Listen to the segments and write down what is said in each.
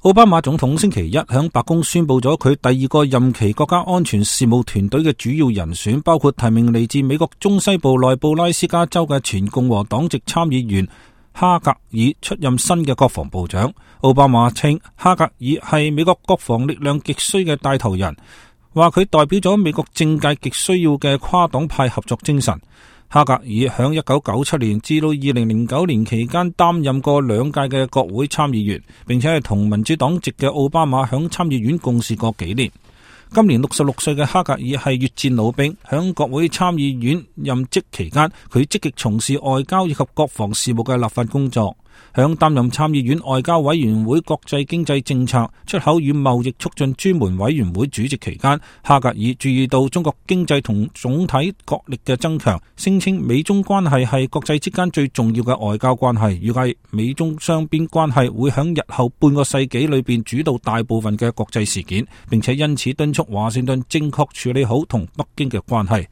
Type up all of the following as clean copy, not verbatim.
奧巴馬總統星期一響白宮宣布咗佢第二個任期國家安全事務團隊嘅主要人選，包括提名嚟自美國中西部內布拉斯加州嘅前共和黨籍參議員哈格爾出任新嘅國防部長。奧巴馬稱哈格爾係美國國防力量極需嘅帶頭人，話佢代表咗美國政界極需要嘅跨黨派合作精神。哈格爾響1997年至到2009年期間擔任過2屆嘅國會參議員，並且係同民主黨籍嘅奧巴馬響參議院共事過幾年。今年66歲嘅哈格爾係越戰老兵，響國會參議院任職期間，佢積極從事外交以及國防事務嘅立法工作。響擔任參議院外交委員會國際經濟政策、出口與貿易促進專門委員會主席期間，哈格爾注意到中國經濟同總體國力嘅增強，聲稱美中關係係國際之間最重要嘅外交關係，預計美中雙邊關係會響日後半個世紀裏邊主導大部分嘅國際事件，並且因此敦促華盛頓正確處理好同北京嘅關係。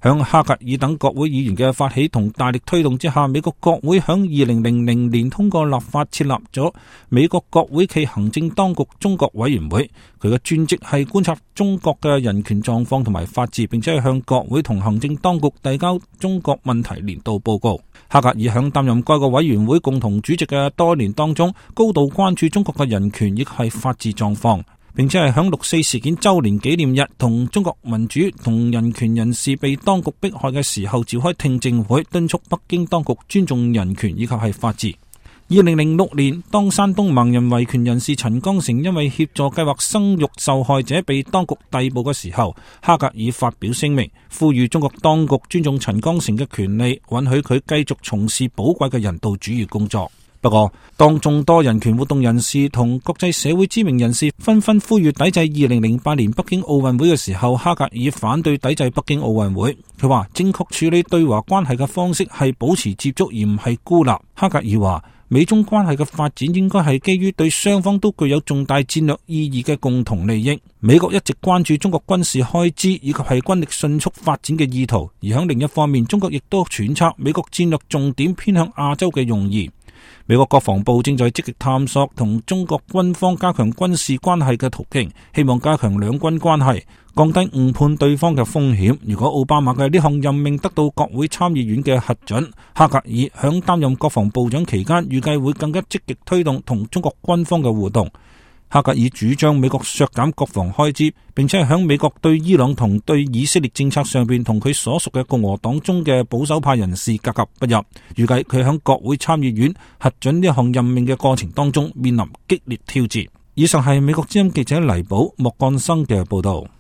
響哈格爾等國會議員嘅發起同大力推動之下，美國國會響2000年通過立法設立咗美國國會暨行政當局中國委員會。佢嘅專職係觀察中國嘅人權狀況同埋法治，並且係向國會同行政當局遞交中國問題年度報告。哈格爾響擔任該個委員會共同主席嘅多年當中，高度關注中國嘅人權亦係法治狀況，並且係響6.4事件周年紀念日同中國民主同人權人士被當局迫害嘅時候召開聽證會，敦促北京當局尊重人權以及係法治。2006年，當山東盲人維權人士陳剛成因為協助計劃生育受害者被當局逮捕嘅時候，哈格爾發表聲明，呼籲中國當局尊重陳剛成嘅權利，允許佢繼續從事寶貴嘅人道主義工作。不過，當眾多人權活動人士同國際社會知名人士紛紛呼籲抵制2008年北京奧運會嘅時候，哈格爾反對抵制北京奧運會。佢話正確處理對華關係嘅方式係保持接觸而唔係孤立。哈格爾話美中關係嘅發展應該係基於對雙方都具有重大戰略意義嘅共同利益。美國一直關注中國軍事開支以及係軍力迅速發展嘅意圖，而喺另一方面，中國亦都揣測美國戰略重點偏向亞洲嘅用意。美國國防部正在積極探索同中國軍方加強軍事關係嘅途徑，希望加強兩軍關係，降低誤判對方嘅風險。如果奧巴馬嘅呢項任命得到國會參議院嘅核准，哈格爾響擔任國防部長期間，預計會更加積極推動同中國軍方嘅互動。哈格爾主張美國削減國防開支，並且係響美國對伊朗同對以色列政策上邊同佢所屬嘅共和黨中嘅保守派人士格格不入。預計佢響國會參議院核准呢項任命嘅過程當中面臨激烈挑戰。以上係美國之音記者黎寶莫幹生嘅報道。